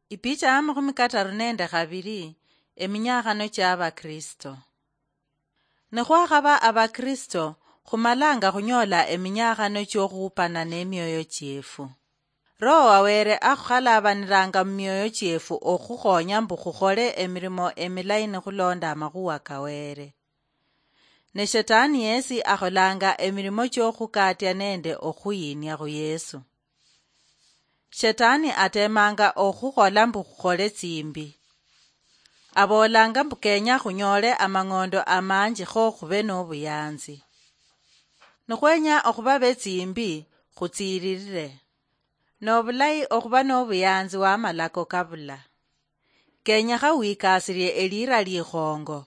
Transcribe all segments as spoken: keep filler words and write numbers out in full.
Ipicha ya makhumi kataru nende khabiri. Eminyakhano chia Abakristo. Nikhwakhaba Abakristo, khumalanga khunyola eminyakhano chiokhupana nemioyo chiefu. Roho wa Were akhukhalaabaniranga mumioyo chiefu okhukhonya mbu khukhole emirimo emilayi nikhulonda amakhuwa ka Were. Ne Shetani yesi akholanga emirimo chiokhukatia nende okhuyinia khu Yesu. Shetani atemanga okhukhola mbu khukhole tsimbi. Abolanga mbu kenya khunyole amang'ondo amanji kho khube nobuyanzi. Nikhwenya okhuba betsimbi, khutsiririre. Nobulayi okhuba nobuyanzi wa malako kabula. Kenyekha wikasirie elira likhongo.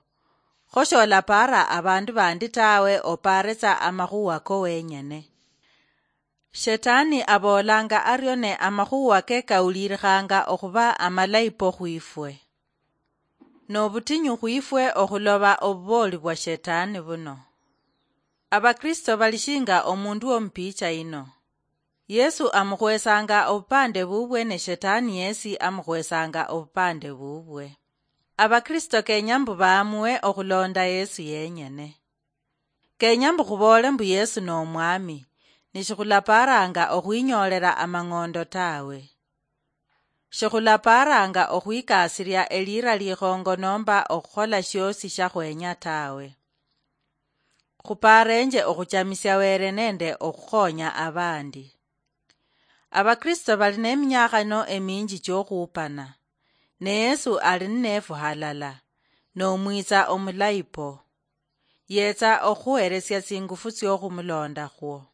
Kho sholapara abandu bandi tawe, oparetsa amakhuwa ko wenyene. Shetani abolanga ario ne amakhuwa ke kaulirikhanga okhuba amalayi po khwifwe. Nobutinyu khwifwe okhuloba obuboli bwa Shetani buno. Abakristo bali shinga omundu womupicha ino. Yesu amukhwesanga obupande bubwe ne Shetani yesi amukhwesanga obupande bubwe. Abakristo kenya mbu baamue okhulonda Yesu yenyene. Kenya mbu khuboole mbu Yesu nomwami, nishikhulaparanga okhwinyolela amang'ondo tawe. Shikhulaparanga okhwikasiria elira likhongo nomba okhukhola shiosi shakhwenya tawe. Khuparenje okhuchamisia Were nende okhukhonya abandi. Abakristo bali neminyakhano eminji chiokhupana, ne Yesu ali ninefu halala, nomwitsa omulayi po. Yetsa okhuheresia tsingufu tsiokhumulonda khwo.